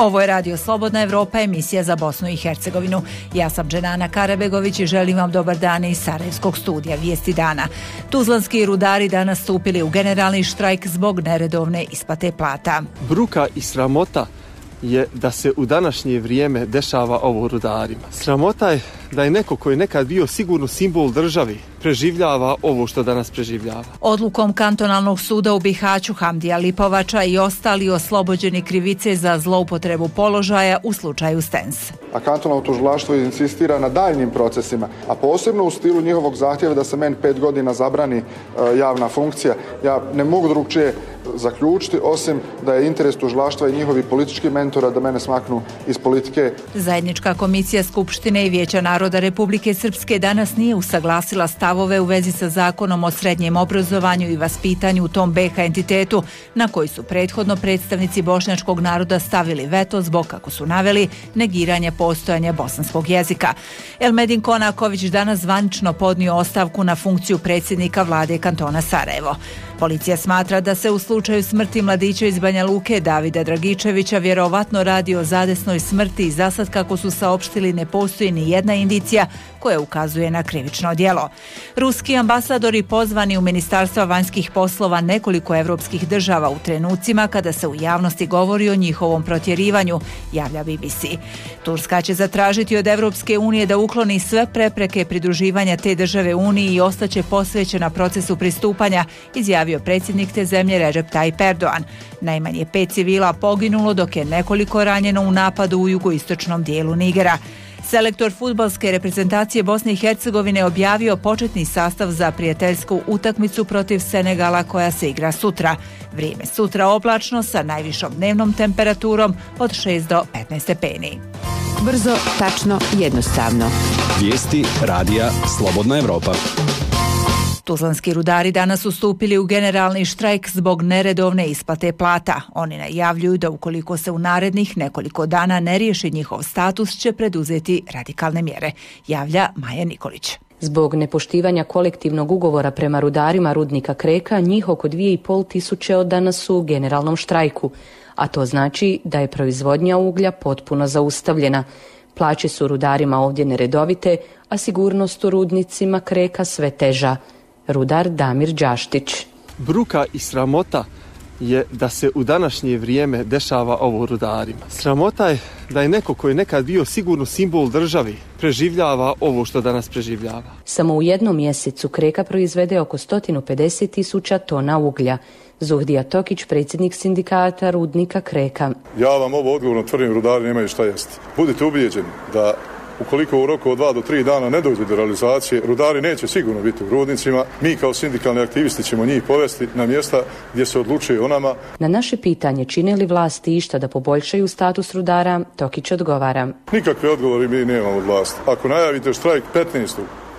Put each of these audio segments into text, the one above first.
Ovo je Radio Slobodna Evropa, emisija za Bosnu i Hercegovinu. Ja sam Dženana Karabegović i želim vam dobar dan iz Sarajevskog studija Vijesti dana. Tuzlanski rudari danas stupili u generalni štrajk zbog neredovne isplate plata. Bruka i sramota je da se u današnje vrijeme dešava ovo rudarima. Sramota je da je neko koji je nekad bio sigurno simbol državi preživljava ovo što danas preživljava. Odlukom kantonalnog suda u Bihaću Hamdija Lipovača i ostali oslobođeni krivice za zloupotrebu položaja u slučaju Stens. A kantonalno tužilaštvo insistira na daljnjim procesima, a posebno u stilu njihovog zahtjeva da se meni 5 godina zabrani javna funkcija. Ja ne mogu drugčije zaključiti, osim da je interes tužilaštva i njihovi politički mentora da mene smaknu iz politike. Zajednička komisija Skupštine i Vijeća naroda Republike Srpske danas nije usaglasila stavove u vezi sa zakonom o srednjem obrazovanju i vaspitanju u tom BiH entitetu, na koji su prethodno predstavnici bošnjačkog naroda stavili veto zbog, kako su naveli, negiranja postojanja bosanskog jezika. Elmedin Konaković danas zvanično podnio ostavku na funkciju predsjednika vlade kantona Sarajevo. Policija smatra da se u slučaju smrti mladića iz Banja Luke Davida Dragičevića vjerovatno radi o zadesnoj smrti i zasad, kako su saopštili, ne postoji ni jedna indicija koja ukazuje na krivično djelo. Ruski ambasadori pozvani u Ministarstva vanjskih poslova nekoliko evropskih država u trenucima kada se u javnosti govori o njihovom protjerivanju, javlja BBC. Turska će zatražiti od Evropske unije da ukloni sve prepreke pridruživanja te države Uniji i ostaće posvećena procesu pristupanja, izjavio predsjednik te zemlje Recep Tayyip Erdogan. Najmanje 5 civila poginulo, dok je nekoliko ranjeno u napadu u jugoistočnom dijelu Nigera. Selektor fudbalske reprezentacije Bosne i Hercegovine objavio početni sastav za prijateljsku utakmicu protiv Senegala koja se igra sutra. Vrijeme sutra oblačno sa najvišom dnevnom temperaturom od 6 do 15 stepeni. Brzo, tačno, jednostavno. Vijesti radija Slobodna Evropa. Tuzlanski rudari danas su stupili u generalni štrajk zbog neredovne isplate plata. Oni najavljuju da ukoliko se u narednih nekoliko dana ne riješi njihov status, će preduzeti radikalne mjere, javlja Maja Nikolić. Zbog nepoštivanja kolektivnog ugovora prema rudarima rudnika Kreka, njih oko 2500 od danas su u generalnom štrajku, a to znači da je proizvodnja uglja potpuno zaustavljena. Plaće su rudarima ovdje neredovite, a sigurnost u rudnicima Kreka sve teža. Rudar Damir Đaštić. Bruka i sramota je da se u današnje vrijeme dešava ovo rudarima. Sramota je da je neko koji je nekad bio sigurno simbol državi preživljava ovo što danas preživljava. Samo u jednom mjesecu Kreka proizvede oko 150.000 tona uglja. Zuhdija Tokić, predsjednik sindikata rudnika Kreka. Ja vam ovo odgovorno tvrdim, rudari nemaju šta jesti. Budite ubijeđeni da ukoliko u roku od 2 do 3 dana ne dođe do realizacije, rudari neće sigurno biti u rudnicima. Mi kao sindikalni aktivisti ćemo njih povesti na mjesta gdje se odlučuje o nama. Na naše pitanje čine li vlasti išta da poboljšaju status rudara, Tokić odgovara. Nikakve odgovore mi nemamo od vlasti. Ako najavite štrajk 15.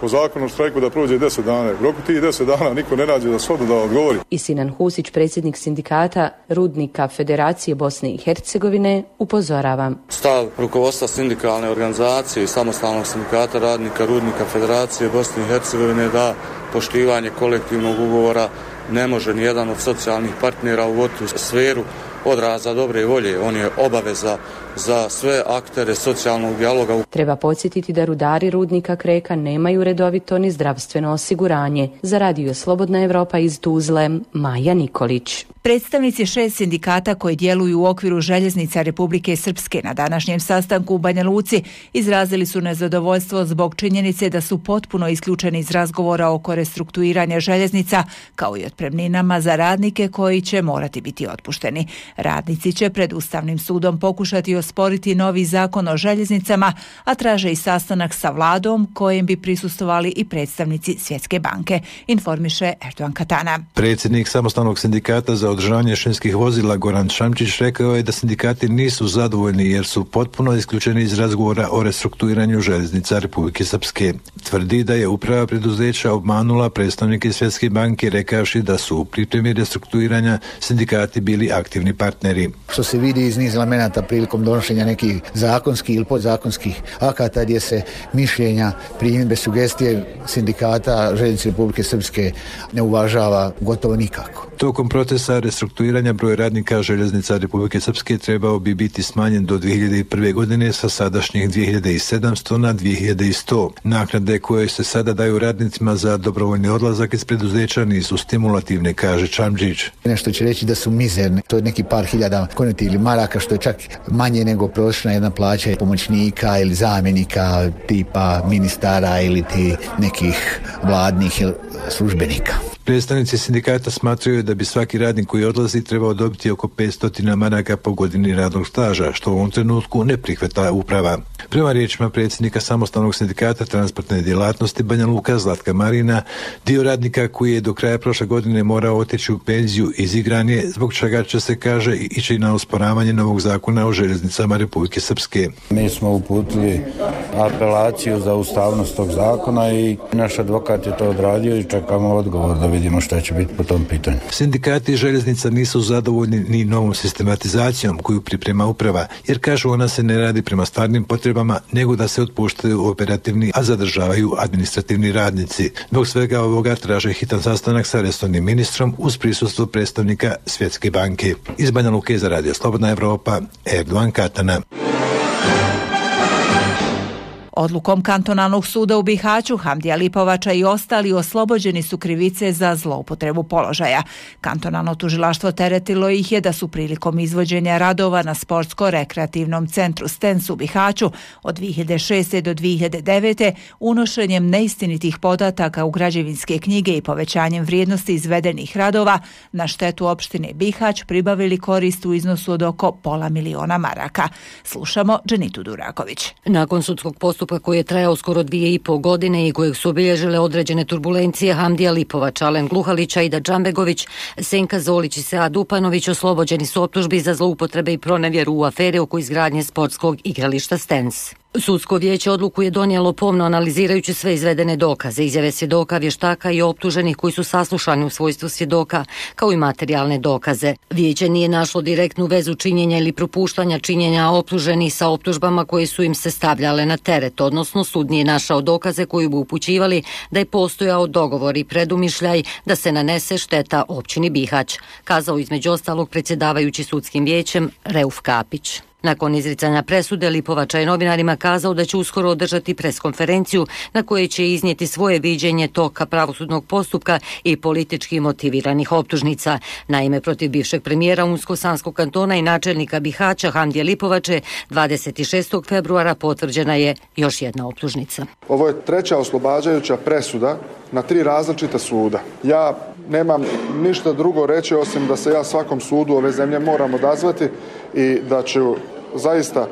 po zakonu o štrajku da prođe 10 dana. U roku tih 10 dana niko ne nađe za sodu da odgovori. I Sinan Husić, predsjednik sindikata rudnika Federacije Bosne i Hercegovine, upozorava. Stav rukovodstva sindikalne organizacije i samostalnog sindikata radnika rudnika Federacije Bosne i Hercegovine da poštivanje kolektivnog ugovora ne može ni jedan od socijalnih partnera uvoditi u sferu odraza dobre volje. On je obaveza za sve aktere socijalnog dijaloga. Treba podsjetiti da rudari rudnika Kreka nemaju redovito ni zdravstveno osiguranje. Za Radio Slobodna Evropa iz Tuzle, Maja Nikolić. Predstavnici 6 sindikata koji djeluju u okviru željeznica Republike Srpske na današnjem sastanku u Banja Luci izrazili su nezadovoljstvo zbog činjenice da su potpuno isključeni iz razgovora oko restrukturiranja željeznica, kao i otpremninama za radnike koji će morati biti otpušteni. Radnici će pred Ustavnim sudom pokušati osporiti novi zakon o željeznicama, a traže i sastanak sa vladom kojem bi prisustvovali i predstavnici Svjetske banke, informiše Erdogan Katana. Predsjednik samostalnog sindikata za održavanje šinskih vozila Goran Šamčić rekao je da sindikati nisu zadovoljni jer su potpuno isključeni iz razgovora o restrukturiranju željeznica Republike Srpske. Tvrdi da je uprava preduzeća obmanula predstavnike Svjetske banke rekavši da su u pripremi restrukturiranja sindikati bili aktivni partneri. Što se vidi iz niz elemenata prilikom donošenja nekih zakonskih ili podzakonskih akata gdje se mišljenja, primjedbe, sugestije sindikata Željeznice Republike Srpske ne uvažava gotovo nikako. Tokom procesa restrukturiranja broj radnika željeznica Republike Srpske trebao bi biti smanjen do 2001. godine sa sadašnjih 2700 na 2100. Naknade koje se sada daju radnicima za dobrovoljni odlazak iz preduzeća nisu stimulativne, kaže Čamdžić. Nešto će reći da su mizerne, to je neki par hiljada koneti ili maraka, što je čak manje nego prosječna jedna plaća pomoćnika ili zamjenika tipa ministara ili ti nekih vladnih službenika. Predstavnici sindikata smatraju da bi svaki radnik koji odlazi trebao dobiti oko 500 maraka po godini radnog staža, što u ovom trenutku ne prihvata uprava. Prema riječima predsjednika samostalnog sindikata transportne djelatnosti Banja Luka Zlatka Marina, dio radnika koji je do kraja prošle godine morao otići u penziju izigran je, zbog čega će se, kaže, ići na osporavanje novog zakona o željeznicama Republike Srpske. Mi smo uputili apelaciju za ustavnost tog zakona i naš advokat je to odradio i čekamo odgovor da vidimo šta će biti po tom pitanju. Sindikati željeznica nisu zadovoljni ni novom sistematizacijom koju priprema uprava, jer kažu ona se ne radi prema stvarnim potrebama, nego da se otpuštaju operativni, a zadržavaju administrativni radnici. Zbog svega ovoga traže hitan sastanak sa resornim ministrom uz prisustvo predstavnika Svjetske banke. Iz Banja Luke za Radio Slobodna Evropa, Erdovan Katana. Odlukom kantonalnog suda u Bihaću Hamdija Lipovača i ostali oslobođeni su krivice za zloupotrebu položaja. Kantonalno tužilaštvo teretilo ih je da su prilikom izvođenja radova na sportsko-rekreativnom centru Stens u Bihaću od 2006. do 2009. unošenjem neistinitih podataka u građevinske knjige i povećanjem vrijednosti izvedenih radova na štetu opštine Bihać pribavili korist u iznosu od oko $500.000 maraka. Slušamo Dženitu Duraković. Nakon sudskog postupka koji je trajao skoro 2,5 godine i kojeg su obilježile određene turbulencije, Hamdija Lipovač, Alen Gluhalića, Ida Džambegović, Senka Zolić i Sead Upanović oslobođeni su optužbi za zloupotrebe i pronevjeru u aferi oko izgradnje sportskog igrališta Stens. Sudsko vijeće odluku je donijelo pomno analizirajući sve izvedene dokaze, izjave svjedoka, vještaka i optuženih koji su saslušani u svojstvu svjedoka, kao i materijalne dokaze. Vijeće nije našlo direktnu vezu činjenja ili propuštanja činjenja optuženih sa optužbama koje su im se stavljale na teret, odnosno sud nije našao dokaze koji bi upućivali da je postojao dogovor i predumišljaj da se nanese šteta općini Bihać, kazao između ostalog predsjedavajući sudskim vijećem Reuf Kapić. Nakon izricanja presude, Lipovača je novinarima kazao da će uskoro održati preskonferenciju na kojoj će iznijeti svoje viđenje toka pravosudnog postupka i politički motiviranih optužnica. Naime, protiv bivšeg premijera Unsko-Sanskog kantona i načelnika Bihaća Hamdije Lipovače 26. februara potvrđena je još jedna optužnica. Ovo je treća oslobađajuća presuda na 3 različita suda. Ja nemam ništa drugo reći osim da se ja svakom sudu ove zemlje moram odazvati i da ću zaista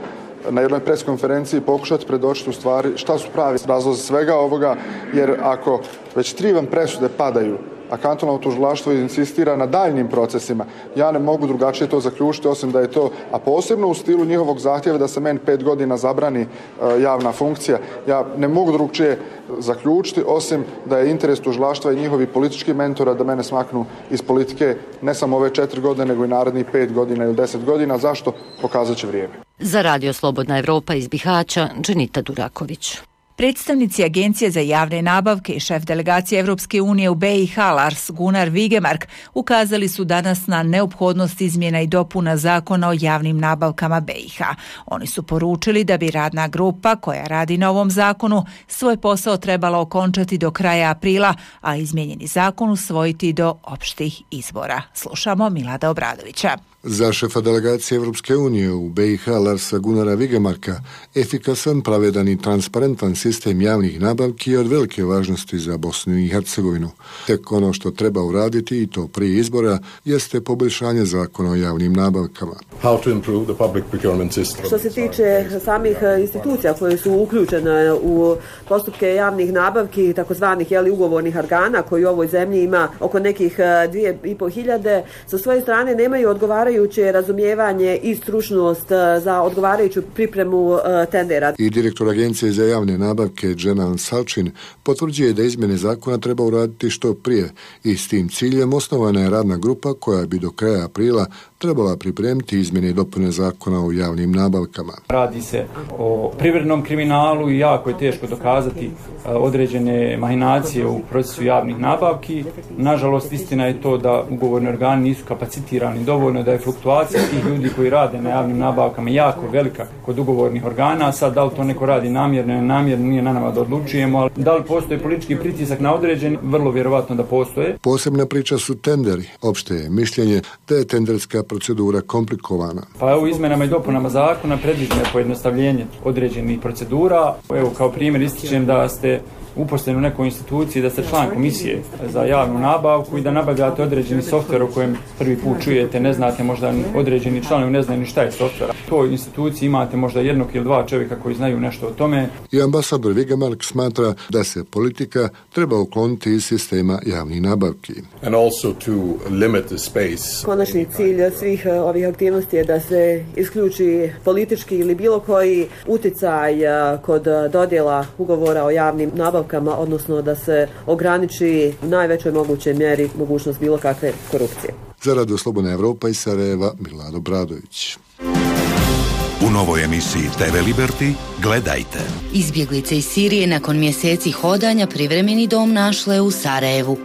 na jednoj preskonferenciji pokušati predočiti u stvari šta su pravi razlozi svega ovoga, jer ako već 3 vam presude padaju, a kantonalno tužilaštvo insistira na daljnjim procesima, ja ne mogu drugačije to zaključiti osim da je to, a posebno u stilu njihovog zahtjeva da se meni 5 godina zabrani javna funkcija, ja ne mogu drugčije zaključiti osim da je interes tužilaštva i njihovi politički mentora da mene smaknu iz politike ne samo ove 4 godine nego i narednih 5 godina ili 10 godina. Zašto? Pokazat će vrijeme. Za Radio Slobodna Evropa iz Bihaća, Dženita Duraković. Predstavnici Agencije za javne nabavke i šef delegacije Evropske unije u BiH Lars Gunnar Vigemark ukazali su danas na neophodnost izmjena i dopuna zakona o javnim nabavkama BiH. Oni su poručili da bi radna grupa koja radi na ovom zakonu svoj posao trebala okončati do kraja aprila, a izmijenjeni zakon usvojiti do opštih izbora. Slušamo Milada Obradovića. Za šefa delegacije Evropske unije u BiH Larsa Gunnara Vigemarka efikasan, pravedan i transparentan sistem javnih nabavki je od velike važnosti za Bosnu i Hercegovinu. Tek ono što treba uraditi, i to prije izbora, jeste poboljšanje zakona o javnim nabavkama. Što se tiče samih institucija koje su uključene u postupke javnih nabavki, takozvanih ugovornih organa koji u ovoj zemlji ima oko nekih 2.500, sa svoje strane nemaju odgovarajuće razumijevanje i stručnost za odgovarajuću pripremu tendera. I direktor Agencije za javne nabavke Dženan Salčin potvrđuje da izmjene zakona treba uraditi što prije i s tim ciljem osnovana je radna grupa koja bi do kraja aprila trebala pripremiti izmjene i dopune zakona o javnim nabavkama. Radi se o privrednom kriminalu i jako je teško dokazati određene mahinacije u procesu javnih nabavki. Nažalost, istina je to da ugovorni organi nisu kapacitirani dovoljno, da je fluktuacija tih ljudi koji rade na javnim nabavkama jako velika kod ugovornih organa. Sad, da li to neko radi namjerno ili nenamjerno, nije na nama da odlučujemo, ali da li postoji politički pritisak na određeni, vrlo vjerovatno da postoje. Posebna priča su tenderi. Opšte je mišljenje da je tenderska procedura komplikovana. Pa evo, izmenama i dopunama zakona predviđeno je pojednostavljenje određenih procedura. Evo, kao primjer ističem da ste uposleni u nekoj instituciji, da ste član komisije za javnu nabavku i da nabavljate određeni softver o kojem prvi put čujete, ne znate, možda određeni članovi ne znaju ni šta je softver. U toj instituciji imate možda jednog ili dva čovjeka koji znaju nešto o tome. I ambasador Vigemark smatra da se politika treba ukloniti iz sistema javnih nabavki. And also to limit the space. Konačni cilj svih ovih aktivnosti je da se isključi politički ili bilo koji uticaj kod dodjela ugovora o javnim nabavkama, odnosno da se ograniči u najvećoj mogućoj mjeri mogućnost bilo kakve korupcije. Za Radio Slobodna Evropa iz Sarajeva, Milado Bradović. U novoj emisiji TV Liberty gledajte. Izbjeglice iz Sirije nakon mjeseci hodanja privremeni dom našle u Sarajevu.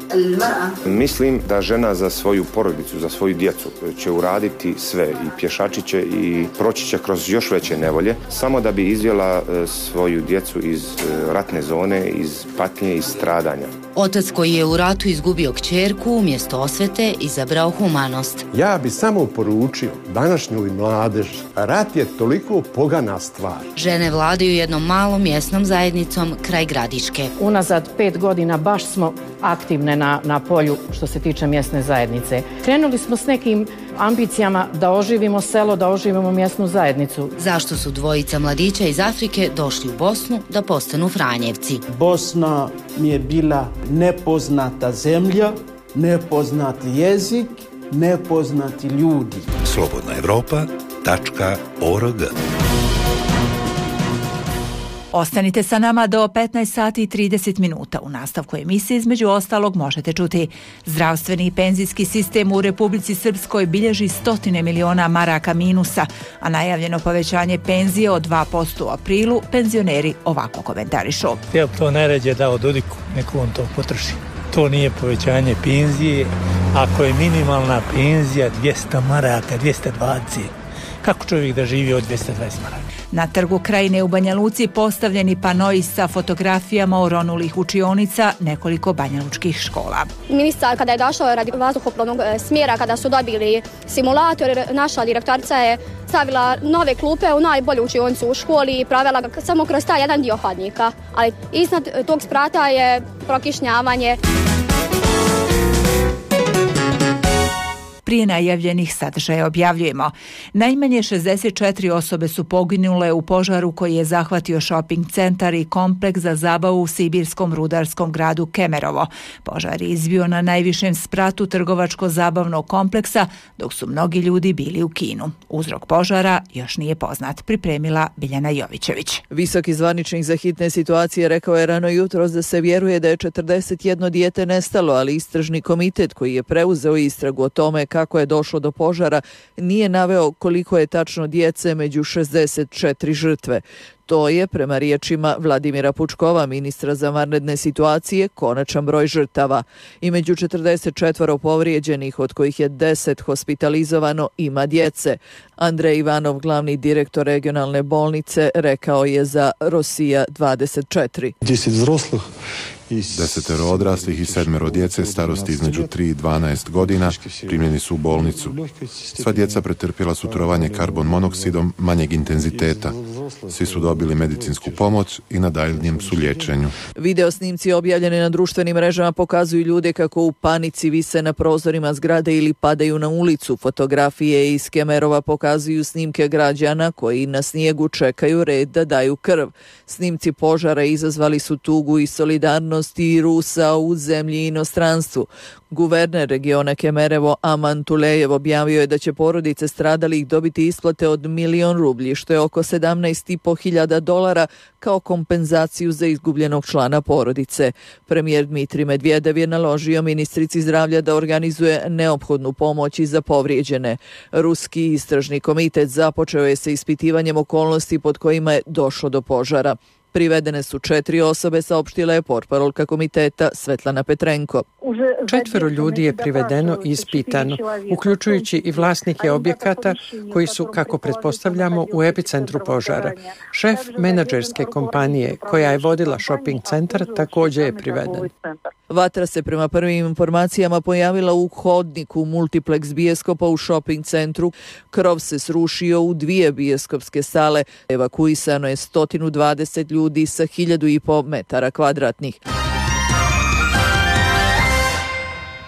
Mislim da žena za svoju porodicu, za svoju djecu će uraditi sve i pješačit će i proći će kroz još veće nevolje samo da bi izvela svoju djecu iz ratne zone, iz patnje, iz stradanja. Otac koji je u ratu izgubio kćerku umjesto osvete izabrao humanost. Ja bi samo poručio današnjoj mladež, rat je toliko pogana stvar. Žene vladaju jednom malom mjesnom zajednicom kraj Gradiške. Unazad 5 godina baš smo aktivne na polju što se tiče mjesne zajednice. Krenuli smo s nekim ambicijama da oživimo selo, da oživimo mjesnu zajednicu. Zašto su dvojica mladića iz Afrike došli u Bosnu da postanu Franjevci? Bosna mi je bila nepoznata zemlja, nepoznati jezik, nepoznati ljudi. Slobodna Evropa.org. Ostanite sa nama do 15 sati i 30 minuta. U nastavku emisije između ostalog možete čuti: zdravstveni i penzijski sistem u Republici Srpskoj bilježi 100 miliona maraka minusa, a najavljeno povećanje penzije od 2% u aprilu penzioneri ovako komentarišu. Ja bi to najrađe dao Dodiku, neko on to potroši. To nije povećanje penzije. Ako je minimalna penzija 200 maraka, 220, kako čovjek da živi od 220 maraka? Na Trgu Krajine u Banja Luci postavljeni panoi sa fotografijama oronulih učionica nekoliko banjalučkih škola. Ministar kada je došao radi vazduhoplovnog smjera, kada su dobili simulator, naša direktorica je stavila nove klupe u najbolju učionicu u školi i provela ga samo kroz taj jedan dio hodnika. Ali iznad tog sprata je prokišnjavanje. Prije najavljenih sadržaja objavljujemo: najmanje 64 osobe su poginule u požaru koji je zahvatio shopping centar i kompleks za zabavu u sibirskom rudarskom gradu Kemerovo. Požar je izbio na najvišem spratu trgovačko-zabavnog kompleksa, dok su mnogi ljudi bili u kinu. Uzrok požara još nije poznat, pripremila Biljana Jovićević. Visoki zvaničnik za hitne situacije rekao je rano jutros da se vjeruje da je 41 dijete nestalo, ali istražni komitet koji je preuzeo istragu o tome kako je došlo do požara nije naveo koliko je tačno djece među 64 žrtve. To je, prema riječima Vladimira Pučkova, ministra za vanredne situacije, konačan broj žrtava. I među 44 povrijeđenih, od kojih je 10 hospitalizovano, ima djece. Andrej Ivanov, glavni direktor regionalne bolnice, rekao je za Rosija 24. 10 взрослых, 10 odraslih i 7 djece starosti između 3 i 12 godina primljeni su u bolnicu. Sva djeca pretrpjela su trovanje karbon monoksidom manjeg intenziteta. Svi su dobili medicinsku pomoć i na daljnjem su liječenju. Video snimci objavljeni na društvenim mrežama pokazuju ljude kako u panici vise na prozorima zgrade ili padaju na ulicu. Fotografije iz Kemerova pokazuju snimke građana koji na snijegu čekaju red da daju krv. Snimci požara izazvali su tugu i solidarnost aktivnosti Rusa u zemlji i inostranstvu. Guverner regiona Kemerevo Aman Tulejev objavio je da će porodice stradalih dobiti isplate od 1.000.000 rublji, što je oko $17.500 kao kompenzaciju za izgubljenog člana porodice. Premijer Dmitrij Medvedev je naložio ministrici zdravlja da organizuje neophodnu pomoć i za povrijeđene. Ruski istražni komitet započeo je sa ispitivanjem okolnosti pod kojima je došlo do požara. Privedene su 4 osobe, saopštila je portparolka komiteta Svetlana Petrenko. 4 ljudi je privedeno i ispitano, uključujući i vlasnike objekata koji su, kako pretpostavljamo, u epicentru požara. Šef menadžerske kompanije koja je vodila shopping centar također je priveden. Vatra se prema prvim informacijama pojavila u hodniku multiplex bioskopa u shopping centru. Krov se srušio u 2 bioskopske sale. Evakuisano je 120 ljudi sa 1.500 metara kvadratnih.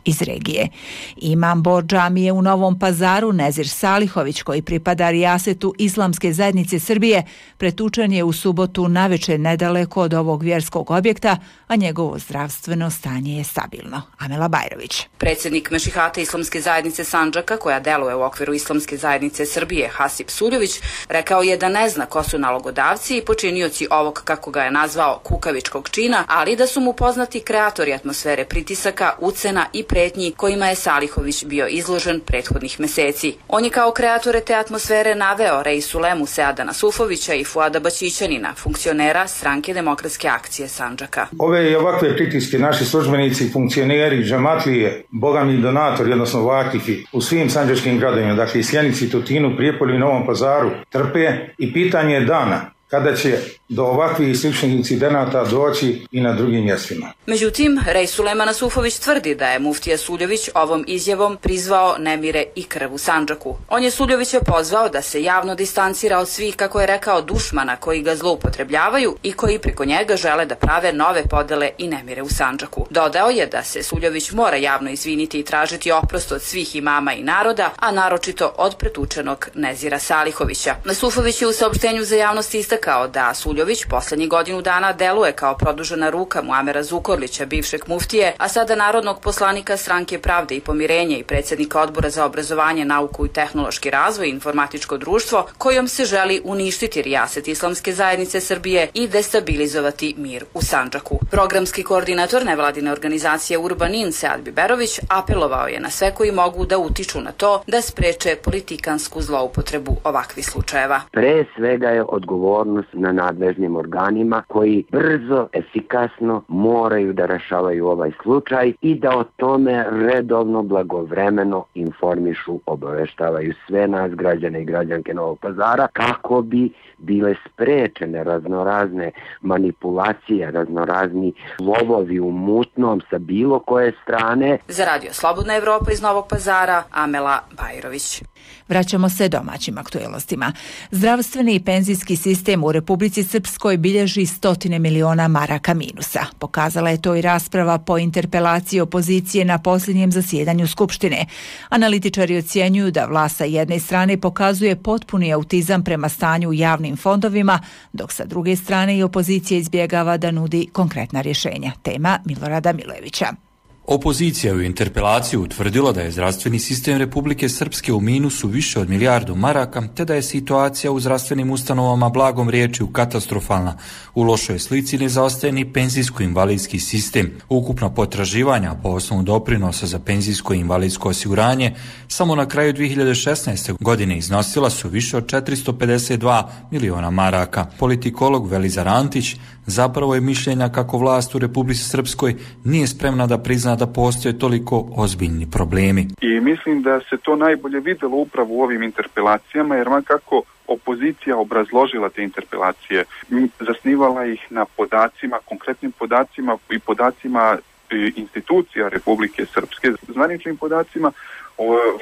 Iz regije. Imam Bor džamije u Novom Pazaru, Nezir Salihović, koji pripada rijasetu Islamske zajednice Srbije, pretučen je u subotu navečer nedaleko od ovog vjerskog objekta, a njegovo zdravstveno stanje je stabilno. Amela Bajrović. Predsjednik Mešihata Islamske zajednice Sandžaka, koja deluje u okviru Islamske zajednice Srbije, Hasip Suljović, rekao je da ne zna ko su nalogodavci i počinioci ovog, kako ga je nazvao, kukavičkog čina, ali da su mu poznati kreatori atmosfere pritisaka, ucena i pretnji kojima je Salihović bio izložen prethodnih meseci. On je kao kreatore te atmosfere naveo Reisulemu Seada Nasufovića i Fuada Baćićanina, funkcionera Stranke demokratske akcije Sandžaka. Ove i ovakve pritiske naši službenici, funkcioneri, džamatlije, bogami donatori, odnosno vakifi u svim sandžačkim gradovima, dakle i Sjenici, Tutinu, Prijepolju i Novom Pazaru, trpe i pitanje je dana kada će do ovakvih sličnih incidenata doći i na drugim mjestima. Međutim, Reisulema Nasufović tvrdi da je muftija Suljović ovom izjavom prizvao nemire i krv u Sandžaku. On je Suljovića pozvao da se javno distancira od svih, kako je rekao, dušmana koji ga zloupotrebljavaju i koji preko njega žele da prave nove podele i nemire u Sandžaku. Dodao je da se Suljović mora javno izviniti i tražiti oprost od svih imama i naroda, a naročito od pretučenog Nezira Salihovića. Nasufović je u saopštenju za javnost istakao da Suljović poslednjih godinu dana deluje kao produžena ruka Muamera Zukorlića, bivšeg muftije, a sada narodnog poslanika Stranke pravde i pomirenja i predsjednika Odbora za obrazovanje, nauku i tehnološki razvoj i informatičko društvo, kojom se želi uništiti rijaset Islamske zajednice Srbije i destabilizovati mir u Sandžaku. Programski koordinator nevladine organizacije Urbanin Sead Biberović apelovao je na sve koji mogu da utiču na to da spreče politikansku zloupotrebu ovakvih slučajeva. Pre svega je odgovornost na nadležnim organima koji brzo, efikasno moraju da rešavaju ovaj slučaj i da o tome redovno, blagovremeno informišu, obaveštavaju sve nas, građane i građanke Novog Pazara, kako bi bile sprečene raznorazne manipulacije, raznorazni lovovi u mutnom sa bilo koje strane. Za Radio Slobodna Evropa iz Novog Pazara, Amela Bajrović. Vraćamo se domaćim aktuelnostima. Zdravstveni i penzijski sistem u Republici Srpskoj bilježi 100 miliona maraka minusa. Pokazala je to i rasprava po interpelaciji opozicije na posljednjem zasjedanju Skupštine. Analitičari ocjenjuju da vlast sa jedne strane pokazuje potpuni autizam prema stanju u javnim fondovima, dok sa druge strane i opozicija izbjegava da nudi konkretna rješenja. Tema Milorada Milojevića. Opozicija u interpelaciji utvrdila da je zdravstveni sistem Republike Srpske u minusu više od 1 milijardu maraka, te da je situacija u zdravstvenim ustanovama blagom riječju katastrofalna. U lošoj slici ne zaostaje ni penzijsko-invalidski sistem. Ukupna potraživanja po osnovu doprinosa za penzijsko i invalidsko osiguranje samo na kraju 2016. godine iznosila su više od 452 miliona maraka. Politikolog Velizar Antić zapravo je mišljenja kako vlast u Republici Srpskoj nije spremna da prizna da postoje toliko ozbiljni problemi. I mislim da se to najbolje videlo upravo u ovim interpelacijama, jer kako opozicija obrazložila te interpelacije, zasnivala ih na podacima, konkretnim podacima i podacima institucija Republike Srpske, zvaničnim podacima.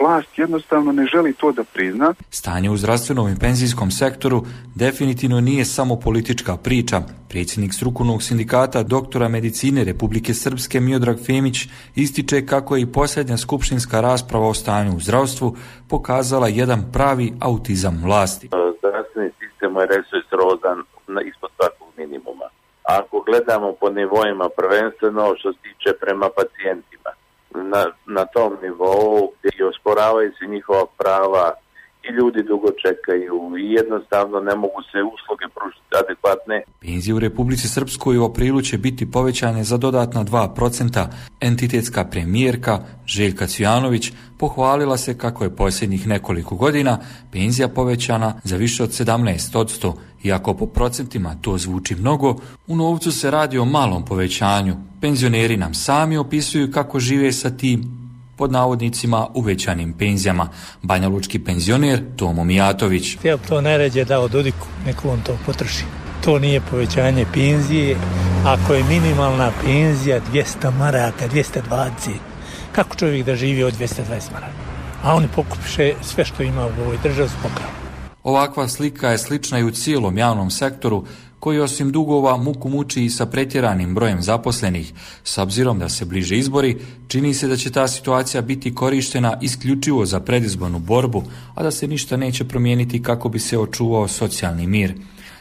Vlast jednostavno ne želi to da prizna. Stanje u zdravstvenom i penzijskom sektoru definitivno nije samo politička priča. Predsjednik strukovnog sindikata doktora medicine Republike Srpske Miodrag Femić ističe kako je i posljednja skupštinska rasprava o stanju u zdravstvu pokazala jedan pravi autizam vlasti. Zdravstveni sistem je resursovan ispod svakog minimuma. ako gledamo po nivoima, prvenstveno što se tiče prema pacijentima. Na tom nivou gdje osporavaju se njihova prava i ljudi dugo čekaju i jednostavno ne mogu se usluge pružiti adekvatne. Penzije u Republici Srpskoj u aprilu će biti povećane za dodatna 2%. Entitetska premijerka Željka Cvijanović pohvalila se kako je posljednjih nekoliko godina penzija povećana za više od 17%. Iako po procentima to zvuči mnogo, u novcu se radi o malom povećanju. Penzioneri nam sami opisuju kako žive sa tim pod navodnicima uvećanim penzijama. Banjalučki penzioner Tomo Mijatović. Ja to najrađe dao Dodiku, neko on to potroši. To nije povećanje penzije. Ako je minimalna penzija 200 maraka, 220, kako čovjek da živi od 220 maraka? A oni pokupiše sve što ima u ovoj državi s pokravom. Ovakva slika je slična i u cijelom javnom sektoru, koji osim dugova muku muči i sa pretjeranim brojem zaposlenih. S obzirom da se bliže izbori, čini se da će ta situacija biti korištena isključivo za predizbornu borbu, a da se ništa neće promijeniti kako bi se očuvao socijalni mir.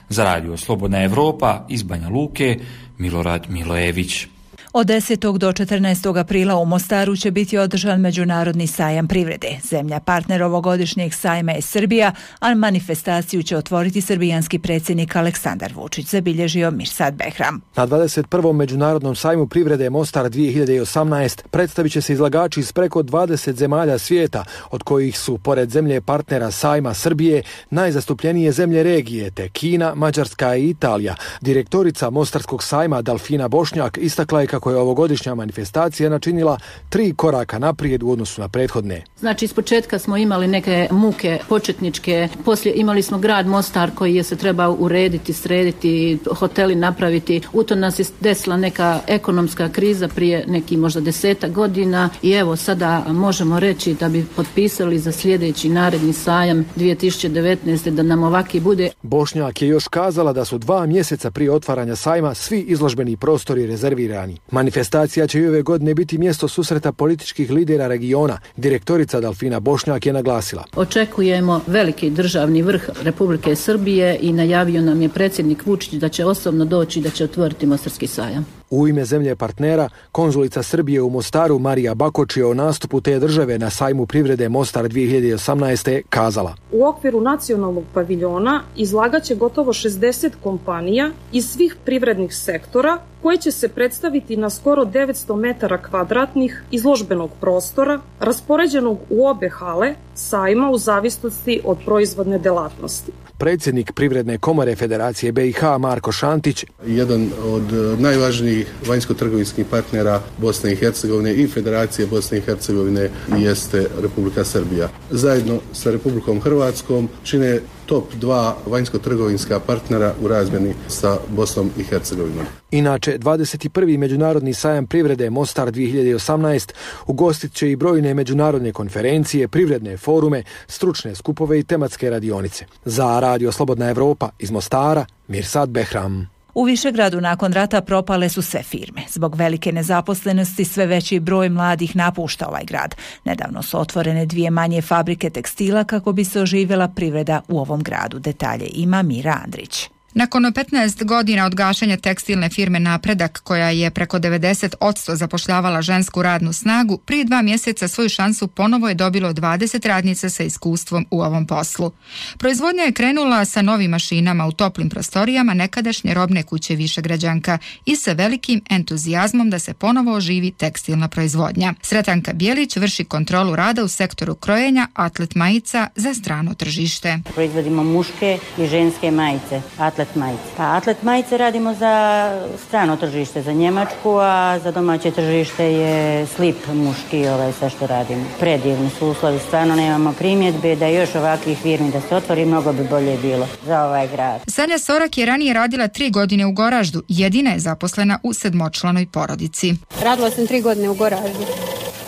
Za Radio Slobodna Evropa iz Banja Luke, Milorad Milojević. Od 10. do 14. aprila u Mostaru će biti održan Međunarodni sajam privrede. Zemlja partner ovogodišnjeg sajma je Srbija, a manifestaciju će otvoriti srbijanski predsjednik Aleksandar Vučić, zabilježio Mirsad Behram. Na 21. Međunarodnom sajmu privrede Mostar 2018 predstavit će se izlagači iz preko 20 zemalja svijeta, od kojih su, pored zemlje partnera sajma Srbije, najzastupljenije zemlje regije, te Kina, Mađarska i Italija. Direktorica Mostarskog sajma Dalfina Bošnjak istakla je kako je ovogodišnja manifestacija načinila 3 koraka naprijed u odnosu na prethodne. Znači, iz početka smo imali neke muke početničke, poslije imali smo grad Mostar koji je se trebao urediti, srediti, hoteli napraviti. U to nas je desila neka ekonomska kriza prije nekih možda 10 godina i evo sada možemo reći da bi potpisali za sljedeći naredni sajam 2019. da nam ovaki bude. Bošnjak je još kazala da su 2 mjeseca prije otvaranja sajma svi izložbeni prostori rezervirani. Manifestacija će i ove godine biti mjesto susreta političkih lidera regiona. Direktorica Dalfina Bošnjak je naglasila. Očekujemo veliki državni vrh Republike Srbije i najavio nam je predsjednik Vučić da će osobno doći i da će otvoriti Mostarski sajam. U ime zemlje partnera, konzulica Srbije u Mostaru Marija Bakoč je o nastupu te države na sajmu privrede Mostar 2018. kazala. U okviru nacionalnog paviljona izlagaće gotovo 60 kompanija iz svih privrednih sektora koji će se predstaviti na skoro 900 metara kvadratnih izložbenog prostora raspoređenog u obe hale sajma u zavisnosti od proizvodne delatnosti. Predsjednik Privredne komore Federacije BiH Marko Šantić. Jedan od najvažnijih vanjsko-trgovinskih partnera Bosne i Hercegovine i Federacije Bosne i Hercegovine jeste Republika Srbija. Zajedno sa Republikom Hrvatskom čine top 2 vanjsko-trgovinska partnera u razmjeni sa Bosnom i Hercegovinom. Inače, 21. Međunarodni sajam privrede Mostar 2018 ugostit će i brojne međunarodne konferencije, privredne forume, stručne skupove i tematske radionice. Za Radio Slobodna Evropa iz Mostara, Mirsad Behram. U Višegradu nakon rata propale su sve firme. Zbog velike nezaposlenosti sve veći broj mladih napušta ovaj grad. Nedavno su otvorene 2 manje fabrike tekstila kako bi se oživjela privreda u ovom gradu. Detalje ima Mira Andrić. Nakon 15 godina od gašenja tekstilne firme Napredak, koja je preko 90% zapošljavala žensku radnu snagu, prije 2 mjeseca svoju šansu ponovo je dobilo 20 radnica sa iskustvom u ovom poslu. Proizvodnja je krenula sa novim mašinama u toplim prostorijama nekadašnje robne kuće Višegrađanka i sa velikim entuzijazmom da se ponovo oživi tekstilna proizvodnja. Sretanka Bijelić vrši kontrolu rada u sektoru krojenja atlet majica za strano tržište. Proizvodimo muške i ženske majice, atlet majice. Pa atlet majice radimo za strano tržište, za Njemačku, a za domaće tržište je slip muški, sve što radimo. Predivni su uslovi, stvarno nemamo primjedbe da još ovakvih firmi da se otvori, mnogo bi bolje bilo za ovaj grad. Sanja Sorak je ranije radila 3 godine u Goraždu, jedina je zaposlena u 7-članoj porodici. Radila sam 3 godine u Goraždu,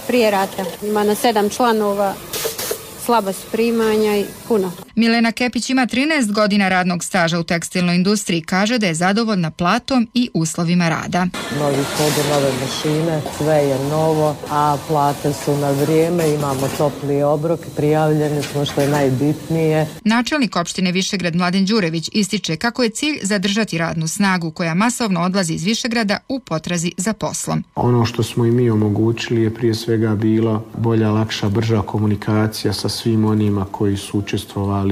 prije rata. Ima na 7 članova, slaba su primanja i puno. Milena Kepić ima 13 godina radnog staža u tekstilnoj industriji, kaže da je zadovoljna platom i uslovima rada. Novi hodu, nove mašine, sve je novo, a plate su na vrijeme, imamo topli obrok, prijavljeni smo što je najbitnije. Načelnik opštine Višegrad Mladen Đurević ističe kako je cilj zadržati radnu snagu koja masovno odlazi iz Višegrada u potrazi za poslom. Ono što smo i mi omogućili je prije svega bila bolja, lakša, brža komunikacija sa svim onima koji su učestvovali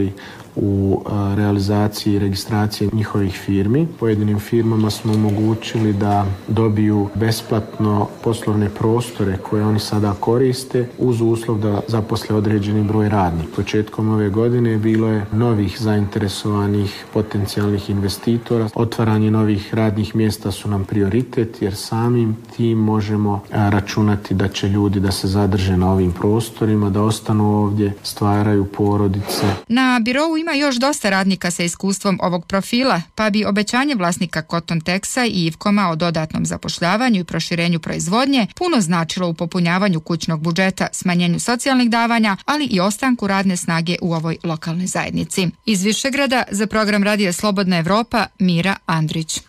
u realizaciji i registraciji njihovih firmi. Pojedinim firmama smo omogućili da dobiju besplatno poslovne prostore koje oni sada koriste uz uslov da zaposle određeni broj radnika. Početkom ove godine bilo je novih zainteresovanih potencijalnih investitora. Otvaranje novih radnih mjesta su nam prioritet jer samim tim možemo računati da će ljudi da se zadrže na ovim prostorima, da ostanu ovdje, stvaraju porodice. Na birou ima još dosta radnika sa iskustvom ovog profila, pa bi obećanje vlasnika Cotton Texa i Ivkoma o dodatnom zapošljavanju i proširenju proizvodnje puno značilo u popunjavanju kućnog budžeta, smanjenju socijalnih davanja, ali i ostanku radne snage u ovoj lokalnoj zajednici. Iz Višegrada za program Radija Slobodna Evropa, Mira Andrić.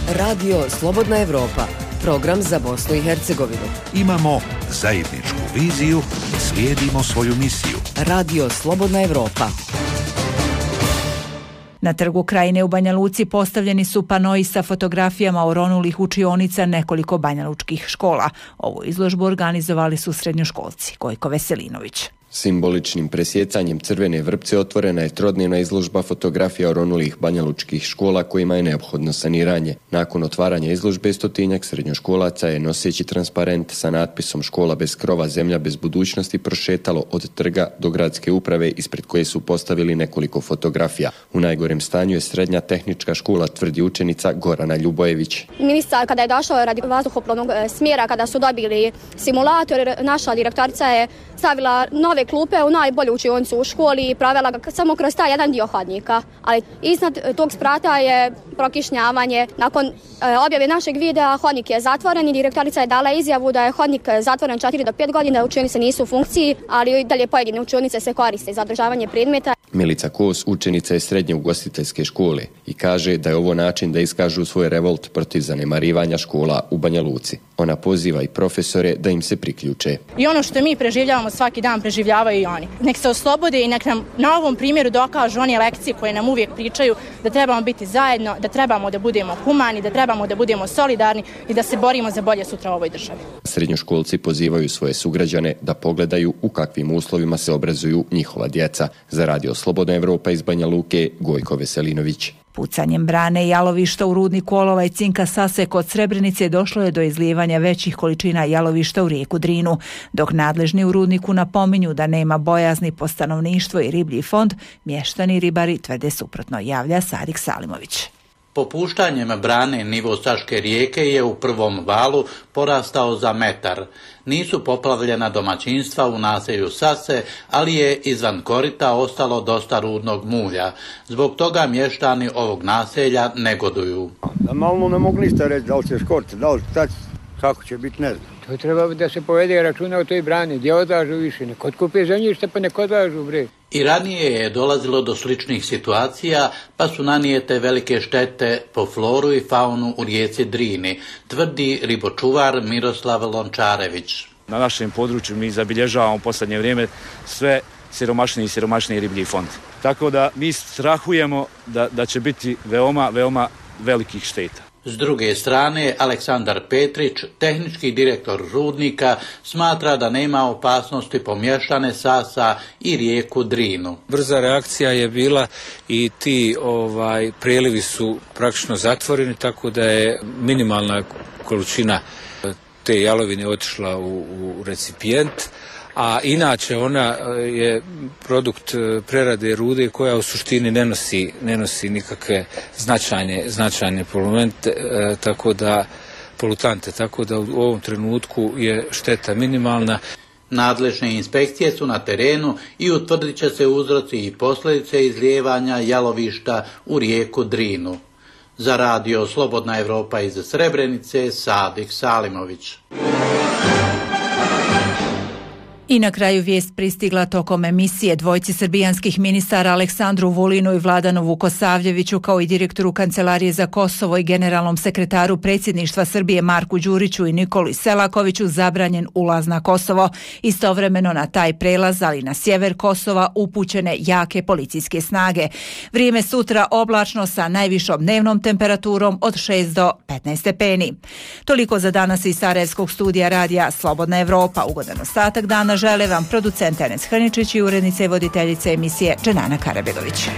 Radio Slobodna Evropa, program za Bosnu i Hercegovinu. Imamo zajedničku viziju, slijedimo svoju misiju. Radio Slobodna Evropa. Na Trgu Krajine u Banja Luci postavljeni su panoi sa fotografijama oronulih učionica nekoliko banjalučkih škola. Ovu izložbu organizovali su srednjoškolci. Gojko Veselinović. Simboličnim presjecanjem crvene vrpce otvorena je trodnevna izložba fotografija oronulih banjalučkih škola kojima je neophodno saniranje. Nakon otvaranja izložbe 100-tinjak srednjoškolaca je noseći transparent sa natpisom Škola bez krova, zemlja bez budućnosti prošetalo od trga do gradske uprave ispred koje su postavili nekoliko fotografija. U najgorem stanju je srednja tehnička škola, tvrdi učenica Gorana Ljubojević. Ministar kada je došao radi vazduhoplovnog smjera, kada su dobili simulator, naša direktorica je stavila nove klupe u najbolju učionicu u školi i provela ga samo kroz taj jedan dio hodnika. Ali iznad tog sprata je prokišnjavanje. Nakon objave našeg videa hodnik je zatvoren i direktorica je dala izjavu da je hodnik zatvoren 4 do 5 godina, učionice nisu u funkciji, ali dalje pojedine učionice se koriste za održavanje predmeta. Milica Kos učenica je srednje ugostiteljske škole i kaže da je ovo način da iskažu svoj revolt protiv zanemarivanja škola u Banja Luci. Ona poziva i profesore da im se priključe. I ono što mi preživljavamo svaki dan preživljavaju i oni. Nek se oslobode i nek nam na ovom primjeru dokažu one lekcije koje nam uvijek pričaju da trebamo biti zajedno, da trebamo da budemo humani, da trebamo da budemo solidarni i da se borimo za bolje sutra u ovoj državi. Srednjoškolci pozivaju svoje sugrađane da pogledaju u kakvim uslovima se obrazuju njihova djeca. Za Radio Slobodna Evropa iz Banja Luke, Gojko Veselinović. Pucanjem brane i jalovišta u rudniku olova i cinka Sase kod Srebrenice došlo je do izlijevanja većih količina jalovišta u rijeku Drinu. Dok nadležni u rudniku napominju da nema bojazni po stanovništvo i riblji fond, mještani i ribari tvrde suprotno, javlja Sadik Salimović. Popuštanjem brane nivo Saške rijeke je u prvom valu porastao za metar. Nisu poplavljena domaćinstva u naselju Sase, ali je izvan korita ostalo dosta rudnog mulja. Zbog toga mještani ovog naselja negoduju. Normalno ne mogu ništa reći, da li će škoriti, da li šta, kako će biti, ne znam. To treba da se povede računa o toj brani, gdje odlažu više, nek otkupe zemljište pa nek odlažu, bre. I ranije je dolazilo do sličnih situacija, pa su nanijete velike štete po floru i faunu u rijeci Drini, tvrdi ribočuvar Miroslav Lončarević. Na našem području mi zabilježavamo u posljednje vrijeme sve siromašniji riblji fond. Tako da mi strahujemo da će biti veoma velikih šteta. S druge strane, Aleksandar Petrić, tehnički direktor rudnika, smatra da nema opasnosti po mještane Sasa i rijeku Drinu. Brza reakcija je bila i ti prelivi su praktično zatvoreni, tako da je minimalna količina te jalovine otišla u recipijent. A inače ona je produkt prerade rude koja u suštini ne nosi nikakve značajne polutante, tako da u ovom trenutku je šteta minimalna. Nadležne inspekcije su na terenu i utvrdit će se uzroci i posljedice izlijevanja jalovišta u rijeku Drinu. Za Radio Slobodna Evropa iz Srebrenice, Sadik Salimović. I na kraju vijest pristigla tokom emisije. Dvojci srbijanskih ministara Aleksandru Vulinu i Vladanu Vukosavljeviću kao i direktoru Kancelarije za Kosovo i generalnom sekretaru predsjedništva Srbije Marku Đuriću i Nikoli Selakoviću zabranjen ulaz na Kosovo. Istovremeno na taj prelaz, ali na sjever Kosova upućene jake policijske snage. Vrijeme sutra oblačno sa najvišom dnevnom temperaturom od 6 do 15 stepeni. Toliko za danas iz Sarajevskog studija radija Slobodna Evropa. Ugodan ostatak dana žele vam producent Enes Hrničić i urednica i voditeljica emisije Dženana Karabegović.